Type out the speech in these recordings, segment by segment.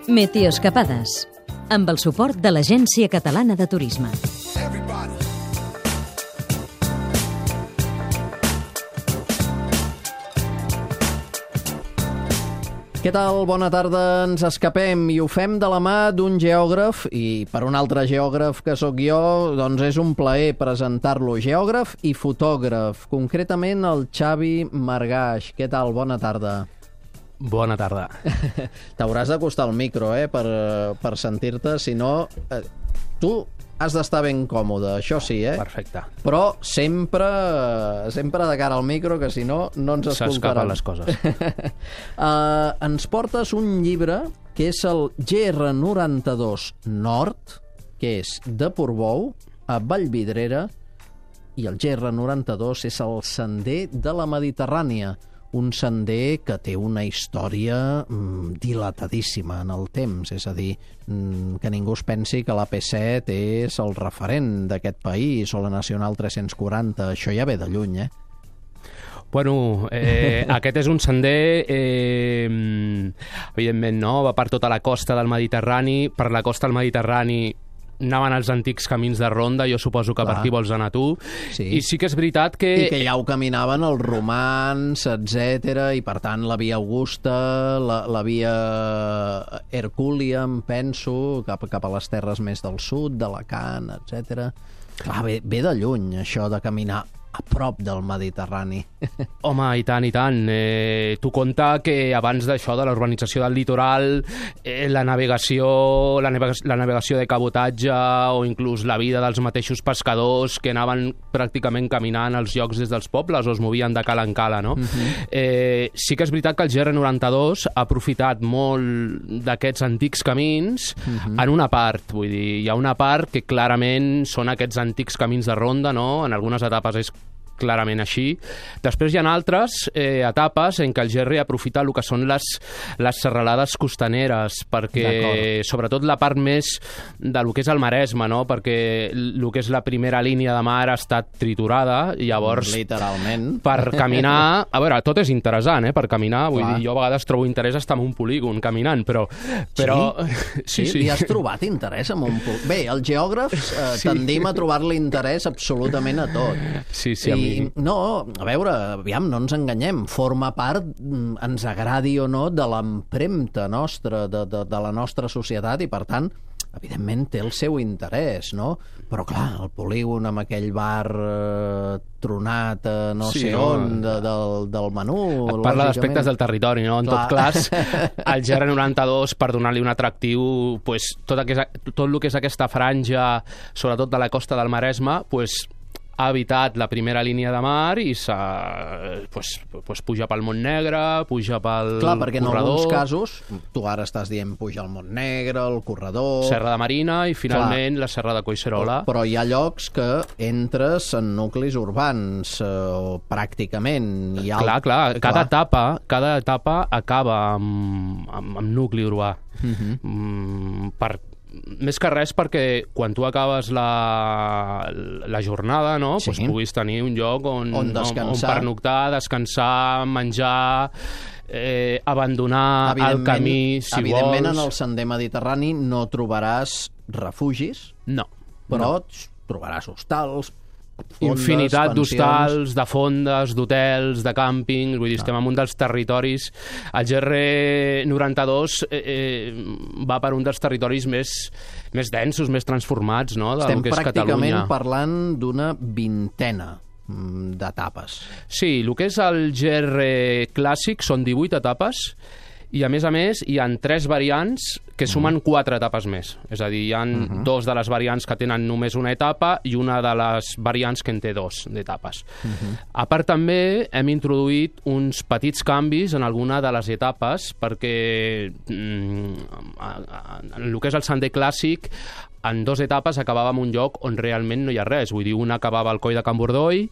Meteoescapades, amb el suport de l'Agència Catalana de Turisme. Què tal? Bona tarda. Ens escapem i ho fem de la mà d'un geògraf i per un altre geògraf que sóc jo, doncs és un plaer presentar-lo. Geògraf i fotògraf, concretament el Xavi Margaix. Què tal? Bona tarda. Bona tarda. T'hauràs d'acostar al micro, per sentir-te, si no... Tu has d'estar ben còmode, això sí, Perfecte. Però sempre de cara al micro, que si no, no ens escoltaran. S'escapen les coses. Ens portes un llibre que és el GR92 Nord, que és de Portbou a Vallvidrera, i el GR92 és el sender de la Mediterrània, un sender que té una història dilatadíssima en el temps, és a dir, que ningú es pensi que l'AP7 és el referent d'aquest país o la Nacional 340, això ja ve de lluny, Bueno, aquest és un sender, evidentment, no? Va per tota la costa del Mediterrani. Per la costa del Mediterrani anaven els antics camins de ronda, jo suposo que per aquí vols anar tu. Sí. I sí que és veritat que... I que ja ho caminaven els romans, etc. I per tant la via Augusta, la via Hercúlia, em penso, cap a les terres més del sud, d'Alacant, etc. Clar, ve de lluny això de caminar a prop del Mediterrani. Home, i tant, i tant. Tu compta que abans d'això, de la urbanització del litoral, la navegació de cabotatge o inclús la vida dels mateixos pescadors que anaven pràcticament caminant als llocs des dels pobles o es movien de cala en cala, no? Sí que és veritat que el GR92 ha aprofitat molt d'aquests antics camins en una part, vull dir, hi ha una part que clarament són aquests antics camins de ronda, no? En algunes etapes és clarament així. Després hi ha altres etapes en què el GR aprofita el que són les serralades costaneres, perquè sobretot la part més del que és el Maresme, no? Perquè el que és la primera línia de mar ha estat triturada, i llavors... Literalment. Per caminar... A veure, tot és interessant, per caminar. Vull dir, jo a vegades trobo interès estar en un polígon caminant, però... Sí? Hi has trobat interès en un polígon? Bé, els geògrafs tendim a trobar-li interès absolutament a tot. Sí, no, a veure, aviam, no ens enganyem, forma part, ens agradi o no, de l'empremta nostra, de la nostra societat, i per tant, evidentment té el seu interès, no? Però clar, el polígon amb aquell bar tronat no sé on, del menú... Et parla d'aspectes del territori, no? En tot cas, el GR92, per donar-li un atractiu, pues, tot el que és aquesta franja, sobretot de la costa del Maresme, pues, ha evitat la primera línia de mar i puja pel Montnegre, puja pel corredor. Clar, perquè en alguns casos, tu ara estàs dient puja al Montnegre, el corredor... Serra de Marina i finalment la Serra de Collserola. Però hi ha llocs que entres en nuclis urbans, pràcticament. Clar, cada etapa acaba amb nucli urbà. Més que res perquè quan tu acabes la jornada, no? Pues puguis tenir un lloc on pernoctar, descansar, menjar, abandonar el camí, si vols. Evidentment, en el sender mediterrani no trobaràs refugis, però trobaràs hostals, infinitat d'hostals, de fondes, d'hotels, de càmpings, vull dir, estem en un dels territoris. El GR92 va per un dels territoris més densos, més transformats, no?, del que és Catalunya. Estem pràcticament parlant d'una vintena d'etapes. Sí, el que és el GR clàssic són 18 etapes, i a més hi ha 3 variants que sumen 4 etapes més. És a dir, hi ha 2 de les variants que tenen només una etapa i una de les variants que en té 2 d'etapes. A part, també hem introduït uns petits canvis en alguna de les etapes, perquè en el que és el sender clàssic, en 2 etapes acabava en un lloc on realment no hi ha res. Vull dir, una acabava al Coll de Can Bordoi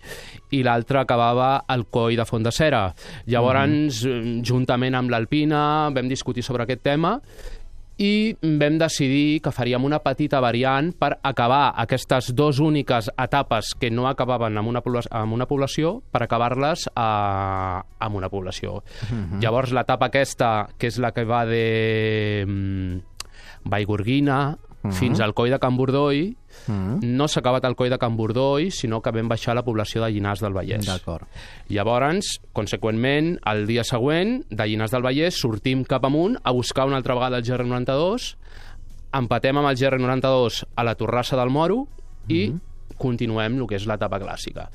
i l'altra acabava al Coll de Font de Cera. Llavors, juntament amb l'Alpina, vam discutir sobre aquest tema i vam decidir que faríem una petita variant per acabar aquestes dues úniques etapes que no acabaven amb una població, per acabar-les amb una població. Llavors, l'etapa aquesta, que és la que va de Vallgorguina fins al Coll de Can Bordoi, no s'ha acabat el Coll de Can Bordoi, sinó que vam baixar a la població de Llinars del Vallès. D'acord. Llavors, conseqüentment, el dia següent, de Llinars del Vallès, sortim cap amunt a buscar una altra vegada el GR92, empatem amb el GR92 a la Torrassa del Moro i continuem el que és l'etapa clàssica.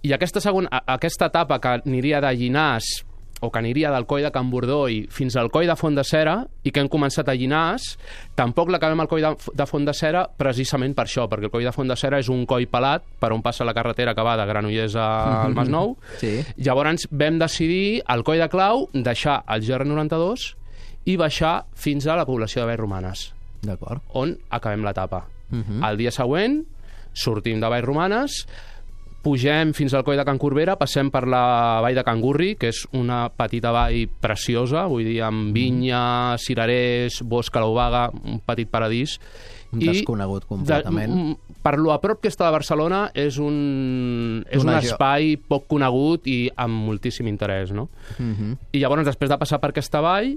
I aquesta etapa que aniria de Llinars o que aniria del Coll de Can Bordoi fins al Coll de Font de Cera i que hem començat a Llinars, tampoc l'acabem al Coll de Font de Cera precisament per això, perquè el Coll de Font de Cera és un coll pelat per on passa la carretera que va de Granollers al Masnou. Sí. Llavors vam decidir al Coll de Clau deixar el GR92 i baixar fins a la població de Vallromanes, on acabem l'etapa. El dia següent sortim de Vallromanes, pugem fins al Coll de Can Corbera, passem per la vall de Can Gurri, que és una petita vall preciosa, vull dir, amb vinya, cirerers, bosc a l'Obaga, un petit paradís. Desconegut completament. Per lo a prop que està de Barcelona, és un espai poc conegut i amb moltíssim interès, no? I llavors, després de passar per aquesta vall,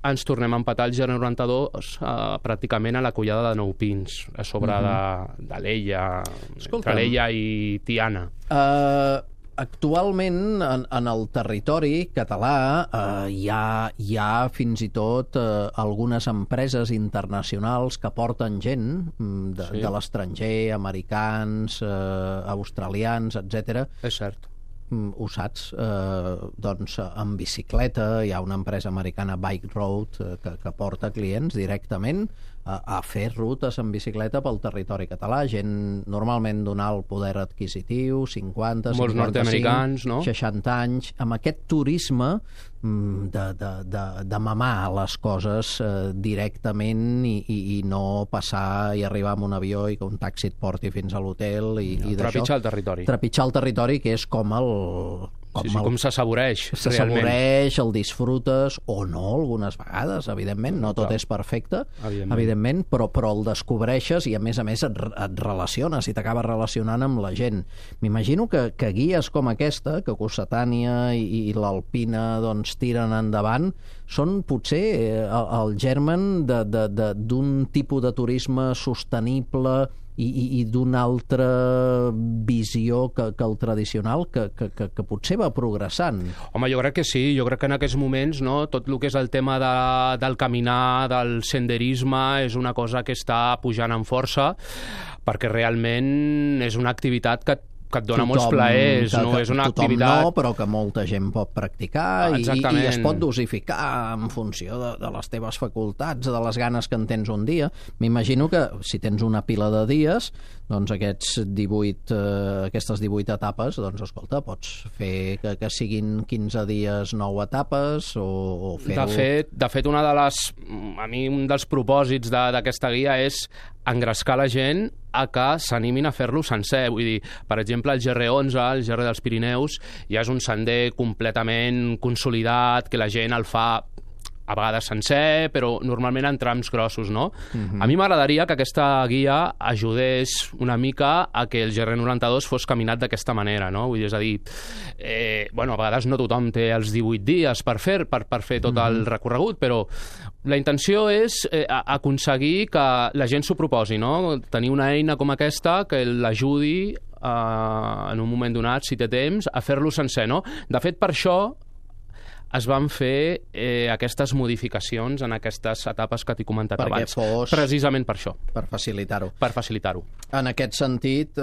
ens tornem a empatar el GR92 pràcticament a la collada de Nou Pins, a sobre de l'Ella, entre l'Ella i Tiana. Actualment, en el territori català hi ha fins i tot algunes empreses internacionals que porten gent de l'estranger, americans, australians, etc. És cert. Ho saps, doncs en bicicleta hi ha una empresa americana, Bike Road, que porta clients directament a fer rutes en bicicleta pel territori català, gent normalment d'un alt poder adquisitiu, 50, 55, 60 anys, amb aquest turisme de mamar les coses directament i no passar i arribar amb un avió i que un taxi et porti fins a l'hotel i trepitjar el territori. Trepitjar el territori, que és com com s'assaboreix. S'assaboreix, el disfrutes, o no, algunes vegades, evidentment, no tot és perfecte, evidentment, però el descobreixes i, a més et relaciones i t'acabes relacionant amb la gent. M'imagino que guies com aquesta, que Cossetània i l'Alpina doncs tiren endavant, són potser el germen d'un tipus de turisme sostenible i d'una altra visió que el tradicional, que potser va progressant. Home, jo crec que sí. Jo crec que en aquests moments tot el que és el tema del caminar, del senderisme, és una cosa que està pujant en força, perquè realment és una activitat que et dona molts plaers, no? És una activitat... no, però que molta gent pot practicar i es pot dosificar en funció de les teves facultats, de les ganes que en tens un dia. M'imagino que si tens una pila de dies, doncs aquestes 18 etapes, doncs escolta, pots fer que siguin 15 dies 9 etapes o fer-ho... De fet, a mi un dels propòsits d'aquesta guia és engrescar la gent a que s'animin a fer-lo sencer. Vull dir, per exemple, el GR11, el GR dels Pirineus, ja és un sender completament consolidat, que la gent el fa a vegades sencer, però normalment en trams grossos, no? A mi m'agradaria que aquesta guia ajudés una mica a que el GR92 fos caminat d'aquesta manera, no? Vull dir, és a dir, a vegades no tothom té els 18 dies per fer tot el recorregut, però la intenció és aconseguir que la gent s'ho proposi, no? Tenir una eina com aquesta que l'ajudi en un moment donat, si té temps, a fer-lo sencer, no? De fet, per això es van fer aquestes modificacions en aquestes etapes que t'he comentat abans. Precisament per això. Per facilitar-ho. Per facilitar-ho. En aquest sentit,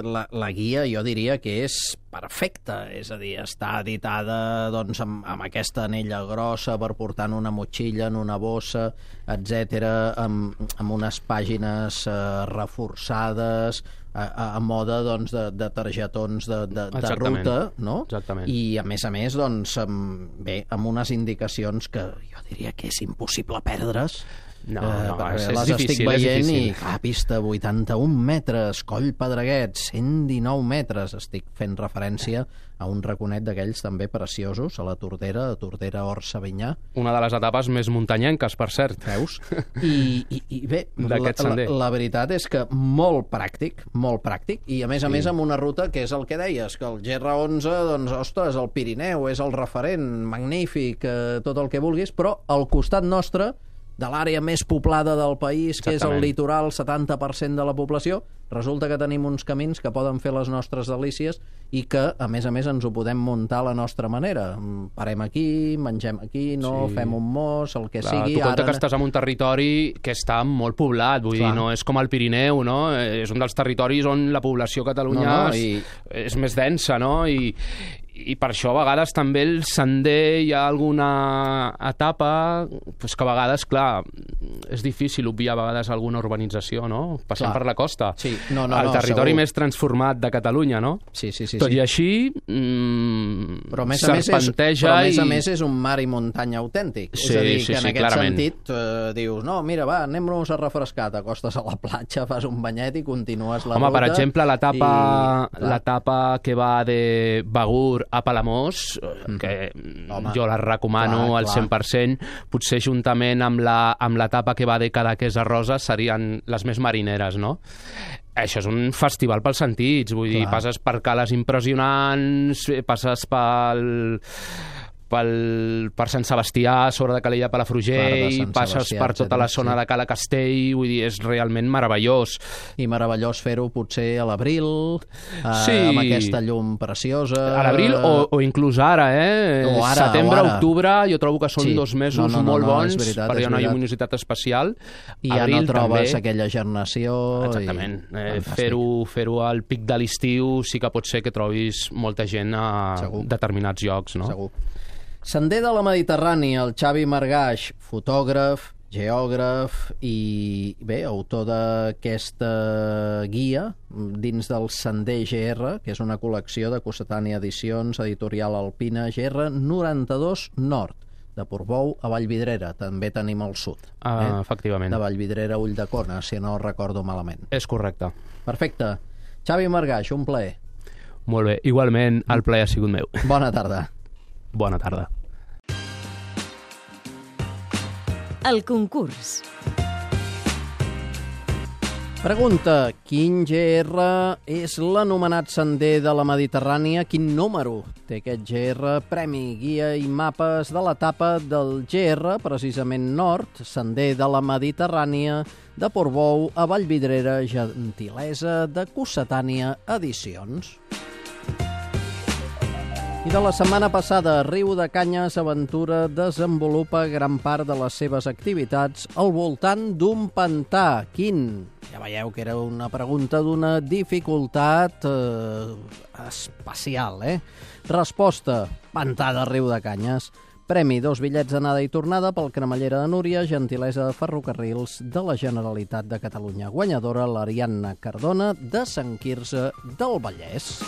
la guia jo diria que és perfecta, és a dir, està editada doncs, amb aquesta anella grossa per portar en una motxilla, en una bossa, etc, amb unes pàgines reforçades, a mode doncs, de targetons de ruta, no? Exactament. I a més, doncs, amb unes indicacions que jo diria que és impossible perdre's. No, les estic veient i, pista 81 metres, Coll Pedreguet, 119 metres. Estic fent referència a un raconet d'aquells també preciosos, a la Tordera Hort-Savinyà. Una de les etapes més muntanyenques, per cert. Veus? I bé, la veritat és que molt pràctic, i a més amb una ruta que és el que deies, que el GR11, doncs, ostres, el Pirineu és el referent, magnífic, tot el que vulguis, però al costat nostre, de l'àrea més poblada del país, que és el litoral, 70% de la població, resulta que tenim uns camins que poden fer les nostres delícies i que, a més, ens ho podem muntar a la nostra manera. Parem aquí, mengem aquí, fem un mos, el que sigui. Tu compte que estàs en un territori que està molt poblat, vull dir, no és com el Pirineu, no? És un dels territoris on la població a Catalunya és més densa, no? I per això a vegades també el sender hi ha alguna etapa pues que a vegades, clar, és difícil obviar a vegades alguna urbanització, no? Passant per la costa. Sí. El territori més transformat de Catalunya, no? Sí. Tot i així serpenteja a més és un mar i muntanya autèntic. És a dir, que en aquest sentit dius, no, mira, va, anem-nos a refrescar, t'acostes a la platja, fas un banyet i continues la ruta. Home, per exemple, l'etapa que va de Begur a Palamós, que jo la recomano al 100%, potser juntament amb l'etapa que va de Cadaqués a Roses serien les més marineres, no? Això és un festival pels sentits, vull dir, passes per cales impressionants, passes per Sant Sebastià, sobre de Calella Palafrugell, passes per tota la zona de Cala Castell, vull dir, és realment meravellós. I meravellós fer-ho potser a l'abril, amb aquesta llum preciosa. A l'abril o inclús ara, setembre, octubre, jo trobo que són 2 mesos molt bons, perquè hi ha una lluminositat especial. I ja no trobes aquella gernació. Exactament. Fer-ho al pic de l'estiu sí que pot ser que trobis molta gent a determinats llocs, no? Segur. Sender de la Mediterrània, el Xavi Margaix, fotògraf, geògraf i, bé, autor d'aquesta guia dins del Sender GR, que és una col·lecció de Cossetània Edicions, editorial Alpina, GR 92 Nord, de Portbou a Vallvidrera. També tenim al sud. Efectivament. De Vallvidrera a Ulldecona, si no recordo malament. És correcte. Perfecte. Xavi Margaix, un plaer. Molt bé, igualment el plaer ha sigut meu. Bona tarda. Bona tarda. El concurs. Pregunta: quin GR és l'anomenat Sender de la Mediterrània? Quin número té aquest GR? Premi, guia i mapes de l'etapa del GR, precisament nord, Sender de la Mediterrània, de Portbou a Vallvidrera, gentilesa de Cossetània Edicions. I de la setmana passada, Riu de Canyes Aventura desenvolupa gran part de les seves activitats al voltant d'un pantà. Quin? Ja veieu que era una pregunta d'una dificultat especial, Resposta: pantà de Riu de Canyes. Premi: 2 bitllets d'anada i tornada pel Cremallera de Núria, gentilesa de Ferrocarrils de la Generalitat de Catalunya. Guanyadora l'Ariadna Cardona de Sant Quirze del Vallès.